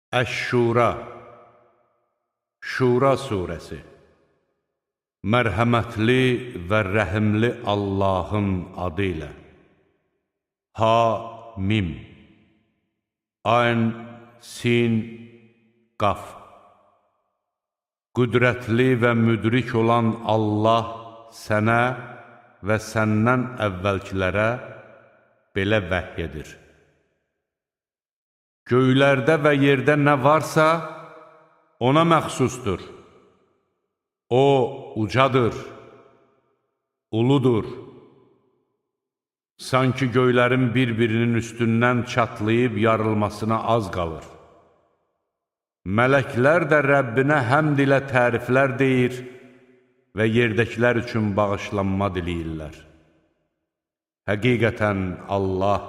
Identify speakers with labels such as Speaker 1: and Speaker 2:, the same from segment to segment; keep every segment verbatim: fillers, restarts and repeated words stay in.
Speaker 1: Əş-Şura Şura surəsi Mərhəmətli və rəhimli Allahın adı ilə Ha-Mim Ayn, Sin, Qaf Qüdrətli və müdrik olan Allah sənə və səndən əvvəlkilərə belə vəhy edir. Göylərdə və yerdə nə varsa, ona məxsusdur. O, ucadır, uludur. Sanki göylərin bir-birinin üstündən çatlayıb yarılmasına az qalır. Mələklər də Rəbbinə həmd ilə təriflər deyir və yerdəkilər üçün bağışlanma diləyirlər. Həqiqətən Allah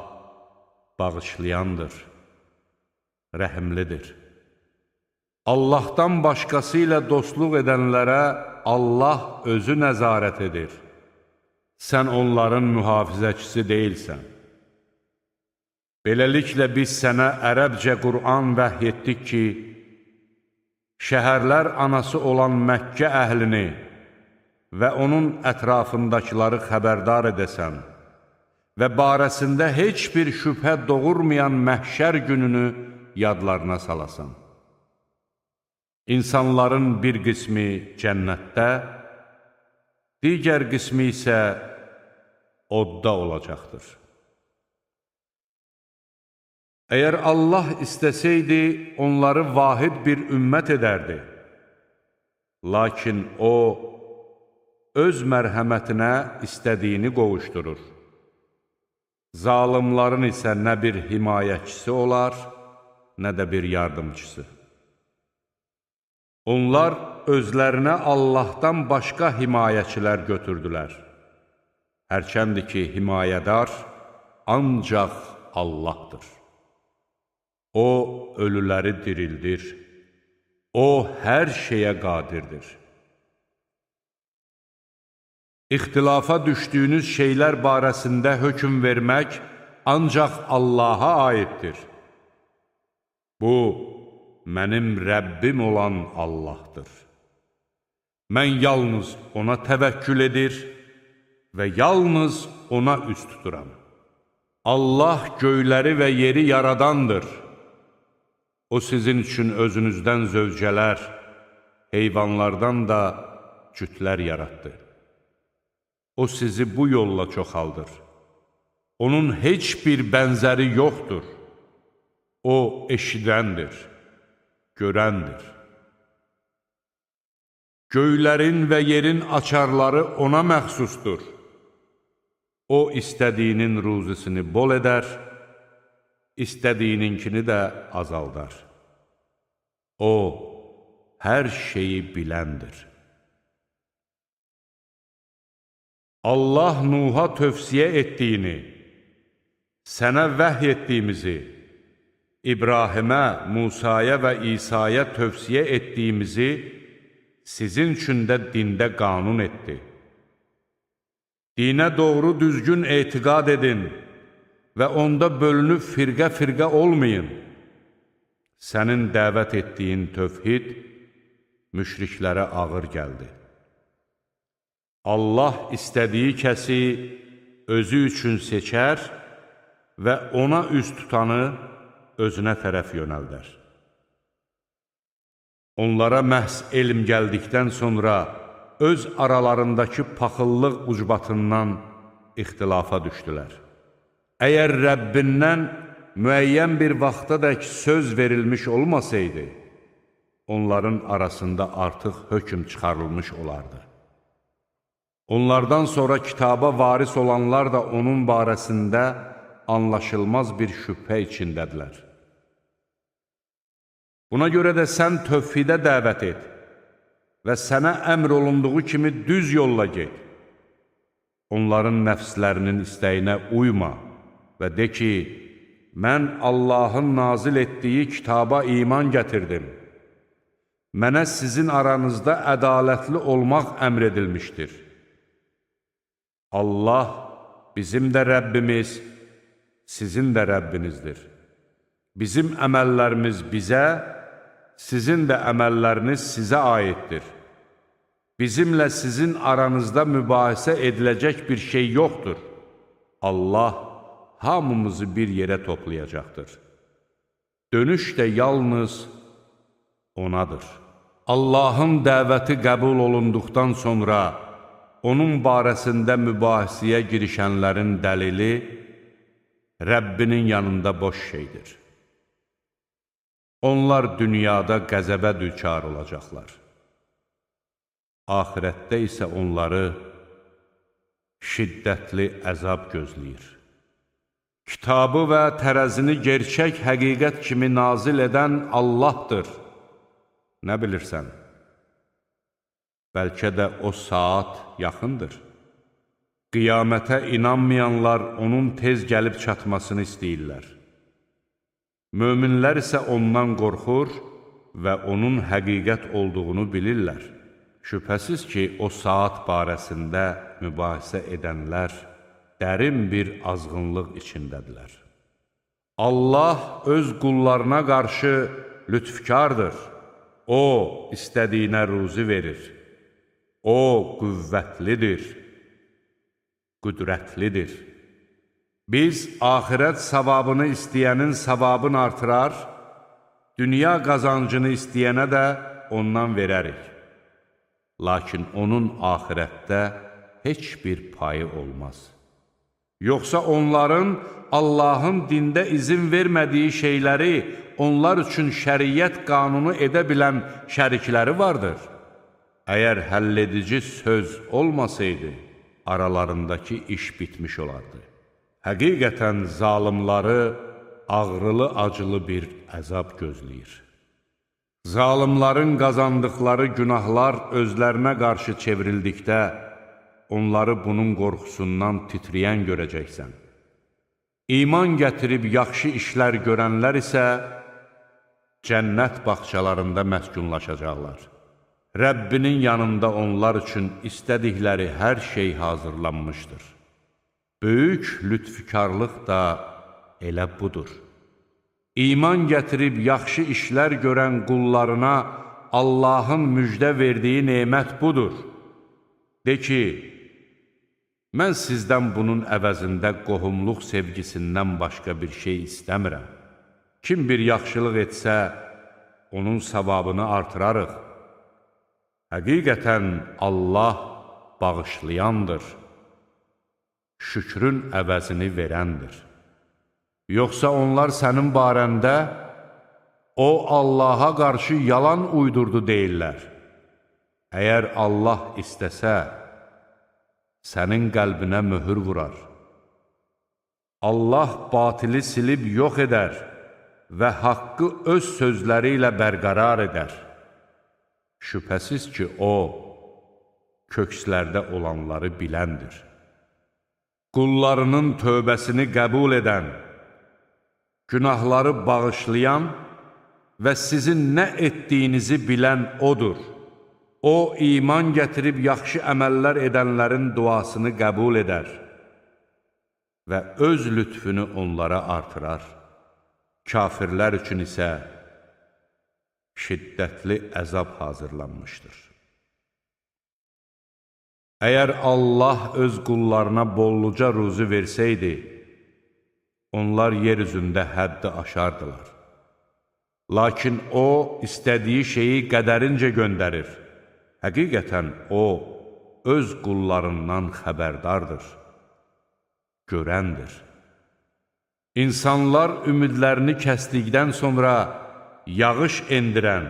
Speaker 1: bağışlayandır, rəhimlidir. Allahdan başqası ilə dostluq edənlərə Allah özü nəzarət edir. Sən onların mühafizəçisi deyilsən. Beləliklə biz sənə ərəbcə Qur'an vəhy etdik ki, şəhərlər anası olan Məkkə əhlini və onun ətrafındakıları xəbərdar edəsən və barəsində heç bir şübhə doğurmayan məhşər gününü yadlarına salasan. İnsanların bir qismi cənnətdə, digər qismi isə odda olacaqdır. Əgər Allah istəsəydi, onları vahid bir ümmət edərdi. Lakin O, öz mərhəmətinə istədiyini qovuşdurur. Zalimların isə nə bir himayəçisi olar, nə də bir yardımcısı. Onlar özlərinə Allahdan başqa himayəçilər götürdülər. Hərçəndir ki, himayədar ancaq Allahdır. O, ölüləri dirildir. O, hər şeyə qadirdir. İxtilafa düşdüyünüz şeylər barəsində hökm vermək ancaq Allaha aiddir. Bu, mənim Rəbbim olan Allahdır. Mən yalnız ona təvəkkül edir və yalnız ona üst tuturam. Allah göyləri və yeri yaradandır. O sizin üçün özünüzdən zövcələr, heyvanlardan da cütlər yaratdı. O sizi bu yolla çoxaldır. Onun heç bir bənzəri yoxdur. O eşidəndir, görəndir. Göylərin və yerin açarları ona məxsusdur. O, istədiyinin ruzisini bol edər, istədiyininkini də azaldar. O, hər şeyi biləndir. Allah Nuh'a tövsiyə etdiyini, sənə vəhy etdiyimizi, İbrahimə, Musaya və İsa'ya tövsiyə etdiyimizi sizin üçün də dində qanun etdi. Dinə doğru düzgün etiqad edin və onda bölünüb firqə-firqə olmayın. Sənin dəvət etdiyin tövhid müşriklərə ağır gəldi. Allah istədiyi kəsi özü üçün seçər və ona üst tutanı özünə tərəf yönəldər. Onlara məhz elm gəldikdən sonra öz aralarındakı paxıllıq ucbatından ixtilafa düşdülər. Əgər Rəbbindən müəyyən bir vaxtadək söz verilmiş olmasaydı, onların arasında artıq hökm çıxarılmış olardı. Onlardan sonra kitaba varis olanlar da onun barəsində anlaşılmaz bir şübhə içindədirlər. Buna görə də sən tövhidə dəvət et və sənə əmr olunduğu kimi düz yolla get. Onların nəfslərinin istəyinə uyma və de ki, mən Allahın nazil etdiyi kitaba iman gətirdim. Mənə sizin aranızda ədalətli olmaq əmr edilmişdir. Allah bizim də Rəbbimiz, sizin də Rəbbinizdir. Bizim əməllərimiz bizə, sizin də əməlləriniz sizə aiddir. Bizimlə sizin aranızda mübahisə ediləcək bir şey yoxdur. Allah hamımızı bir yerə toplayacaqdır. Dönüş də yalnız onadır. Allahın dəvəti qəbul olunduqdan sonra onun barəsində mübahisəyə girişənlərin dəlili Rəbbinin yanında boş şeydir. Onlar dünyada qəzəbə düçar olacaqlar. Ahirətdə isə onları şiddətli əzab gözləyir. Kitabı və tərəzini gerçək həqiqət kimi nazil edən Allahdır. Nə bilirsən? Bəlkə də o saat yaxındır. Qiyamətə inanmayanlar onun tez gəlib çatmasını istəyirlər. Möminlər isə ondan qorxur və onun həqiqət olduğunu bilirlər. Şübhəsiz ki, o saat barəsində mübahisə edənlər dərin bir azğınlıq içindədirlər. Allah öz qullarına qarşı lütfkardır. O, istədiyinə ruzi verir. O, qüvvətlidir, qüdrətlidir. Biz axirət savabını istəyənin savabını artırar, dünya qazancını istəyənə də ondan verərik. Lakin onun axirətdə heç bir payı olmaz. Yoxsa onların Allahın dində izin vermədiyi şeyləri onlar üçün şəriət qanunu edə bilən şərikləri vardır. Əgər həlledici söz olmasaydı, aralarındakı iş bitmiş olardı. Həqiqətən zalimları ağrılı-acılı bir əzab gözləyir. Zalimların qazandıqları günahlar özlərinə qarşı çevrildikdə, onları bunun qorxusundan titrəyən görəcəksən. İman gətirib yaxşı işlər görənlər isə cənnət bağçalarında məskunlaşacaqlar. Rəbbinin yanında onlar üçün istədikləri hər şey hazırlanmışdır. Böyük lütfükarlıq da elə budur. İman gətirib yaxşı işlər görən qullarına Allahın müjdə verdiyi nemət budur. De ki, mən sizdən bunun əvəzində qohumluq sevgisindən başqa bir şey istəmirəm. Kim bir yaxşılıq etsə, onun savabını artırarıq. Həqiqətən Allah bağışlayandır, şükrün əvəzini verəndir. Yoxsa onlar sənin barəndə, o Allaha qarşı yalan uydurdu deyirlər. Əgər Allah istəsə, sənin qəlbinə möhür vurar. Allah batili silib yox edər və haqqı öz sözləri ilə bərqərar edər. Şübhəsiz ki, O, kökslərdə olanları biləndir. Qullarının tövbəsini qəbul edən, günahları bağışlayan və sizin nə etdiyinizi bilən O'dur. O, iman gətirib yaxşı əməllər edənlərin duasını qəbul edər və öz lütfünü onlara artırar. Kafirlər üçün isə şiddətli əzab hazırlanmışdır. Əgər Allah öz qullarına bolluca ruzi versəydi, onlar yer üzündə həddi aşardılar. Lakin O, istədiyi şeyi qədərincə göndərir. Həqiqətən O, öz qullarından xəbərdardır, görəndir. İnsanlar ümidlərini kəsdikdən sonra yağış endirən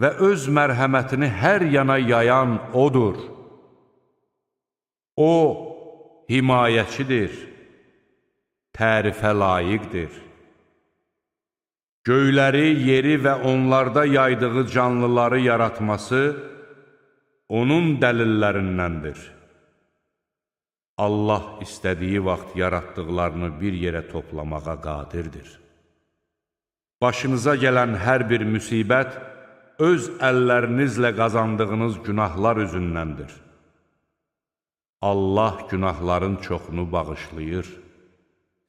Speaker 1: və öz mərhəmətini hər yana yayan O'dur. O, himayəçidir, tərifə layiqdir. Göyləri, yeri və onlarda yaydığı canlıları yaratması onun dəlillərindəndir. Allah istədiyi vaxt yaratdıqlarını bir yerə toplamağa qadirdir. Başınıza gələn hər bir müsibət öz əllərinizlə qazandığınız günahlar üzündəndir. Allah günahların çoxunu bağışlayır,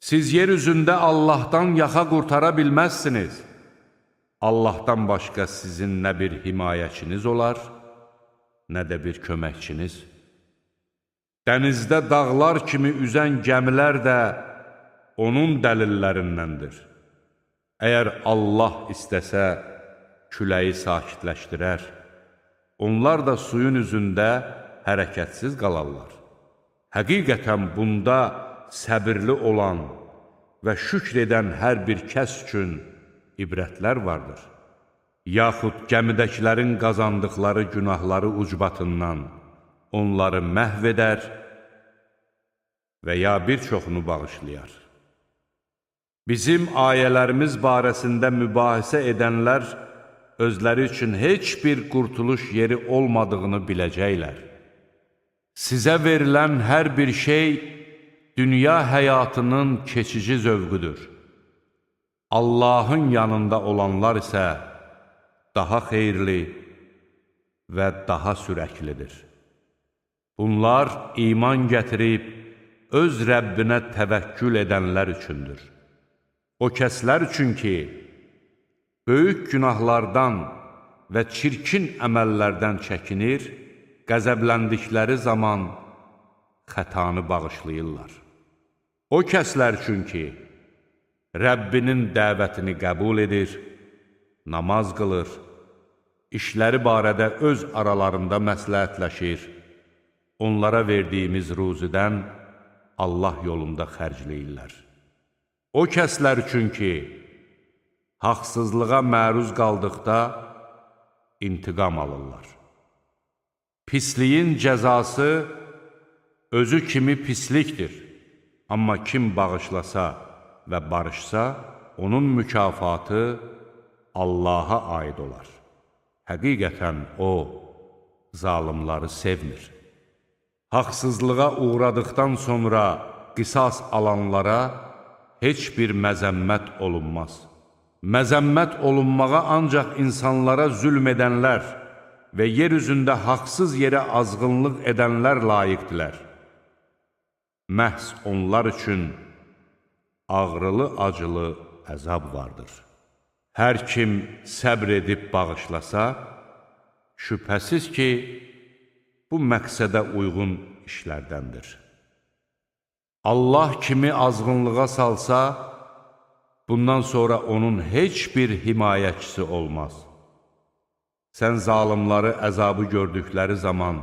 Speaker 1: Siz yer üzündə Allahdan yaxa qurtara bilməzsiniz. Allahdan başqa sizin nə bir himayəçiniz olar, nə də bir köməkçiniz. Dənizdə dağlar kimi üzən gəmilər də onun dəlillərindəndir. Əgər Allah istəsə, küləyi sakitləşdirər. Onlar da suyun üzündə hərəkətsiz qalarlar. Həqiqətən bunda səbirli olan və şükr edən hər bir kəs üçün ibrətlər vardır. Yaxud gəmidəkilərin qazandıqları günahları ucbatından onları məhv edər və ya bir çoxunu bağışlayar. Bizim ayələrimiz barəsində mübahisə edənlər özləri üçün heç bir qurtuluş yeri olmadığını biləcəklər. Sizə verilən hər bir şey dünya həyatının keçici zövqüdür. Allahın yanında olanlar isə daha xeyirli və daha sürəklidir. Bunlar iman gətirib, öz Rəbbinə təvəkkül edənlər üçündür. O kəslər üçün ki, böyük günahlardan və çirkin əməllərdən çəkinir, qəzəbləndikləri zaman xətanı bağışlayırlar. O kəslər üçün ki, Rəbbinin dəvətini qəbul edir, namaz qılır, işləri barədə öz aralarında məsləhətləşir, onlara verdiyimiz ruzidən Allah yolunda xərcləyirlər. O kəslər üçün ki, haqsızlığa məruz qaldıqda intiqam alırlar. Pisliyin cəzası özü kimi pislikdir, amma kim bağışlasa və barışsa, onun mükafatı Allaha aid olar. Həqiqətən O, zalimları sevmir. Haqsızlığa uğradıqdan sonra qisas alanlara heç bir məzəmmət olunmaz. Məzəmmət olunmağa ancaq insanlara zülm edənlər və yer üzündə haqsız yerə azğınlıq edənlər layiqdilər. Məhz onlar üçün ağrılı-acılı əzab vardır. Hər kim səbr edib bağışlasa, şübhəsiz ki, bu məqsədə uyğun işlərdəndir. Allah kimi azğınlığa salsa, bundan sonra onun heç bir himayəçisi olmaz. Sən zalimları əzabı gördükləri zaman,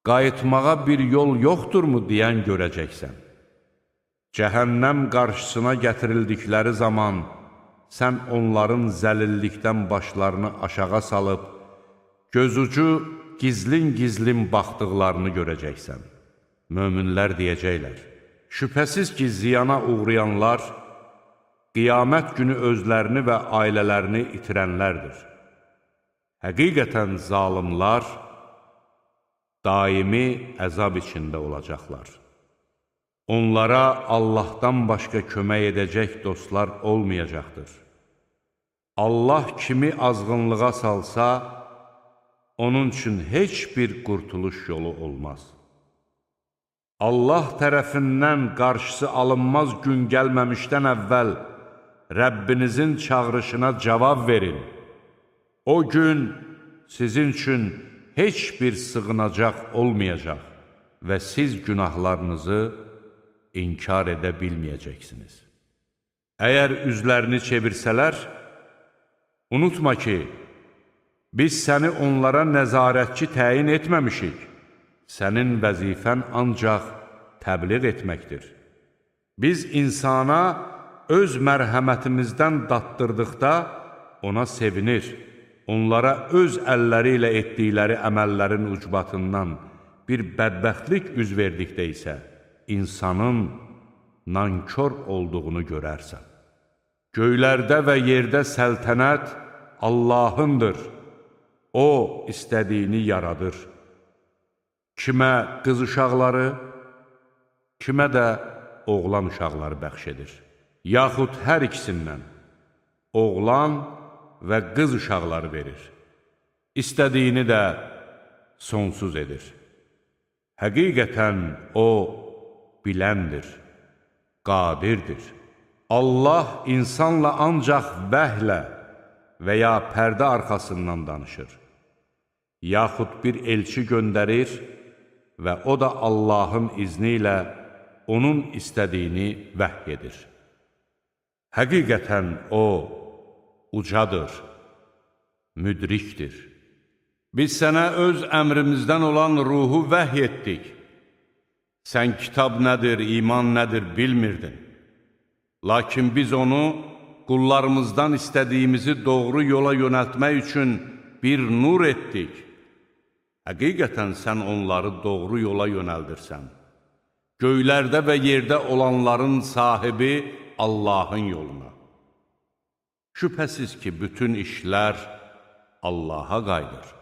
Speaker 1: qayıtmağa bir yol yoxdurmu deyən görəcəksən. Cəhənnəm qarşısına gətirildikləri zaman, sən onların zəlillikdən başlarını aşağı salıb, gözucu gizlin-gizlin baxdıqlarını görəcəksən. Möminlər deyəcəklər, şübhəsiz ki, ziyana uğrayanlar, qiyamət günü özlərini və ailələrini itirənlərdir. Həqiqətən zalimlar daimi əzab içində olacaqlar. Onlara Allahdan başqa kömək edəcək dostlar olmayacaqdır. Allah kimi azğınlığa salsa, onun üçün heç bir qurtuluş yolu olmaz. Allah tərəfindən qarşısı alınmaz gün gəlməmişdən əvvəl Rəbbinizin çağırışına cavab verin. O gün sizin üçün heç bir sığınacaq olmayacaq və siz günahlarınızı inkar edə bilməyəcəksiniz. Əgər üzlərini çevirsələr, unutma ki, biz səni onlara nəzarətçi təyin etməmişik. Sənin vəzifən ancaq təbliğ etməkdir. Biz insana öz mərhəmətimizdən dattırdıqda ona sevinir. Onlara öz əlləri ilə etdikləri əməllərin ucbatından bir bədbəxtlik üz verdikdə isə insanın nankor olduğunu görərsən. Göylərdə və yerdə səltənət Allahındır. O, istədiyini yaradır. Kimə qız uşaqları, kimə də oğlan uşaqları bəxş edir. Yaxud hər ikisindən oğlan və qız uşaqları verir. İstədiyini də sonsuz edir. Həqiqətən O biləndir, qadirdir. Allah insanla ancaq vəhlə və ya pərdə arxasından danışır, yaxud bir elçi göndərir və o da Allahın izni ilə onun istədiyini vəhy edir. Həqiqətən O ucadır, müdrikdir. Biz sənə öz əmrimizdən olan ruhu vəhy etdik. Sən kitab nədir, iman nədir bilmirdin. Lakin biz onu qullarımızdan istədiyimizi doğru yola yönəltmək üçün bir nur etdik. Həqiqətən sən onları doğru yola yönəldirsən. Göylərdə və yerdə olanların sahibi Allahın yoluna. Şübhəsiz ki, bütün işlər Allaha qayıdır.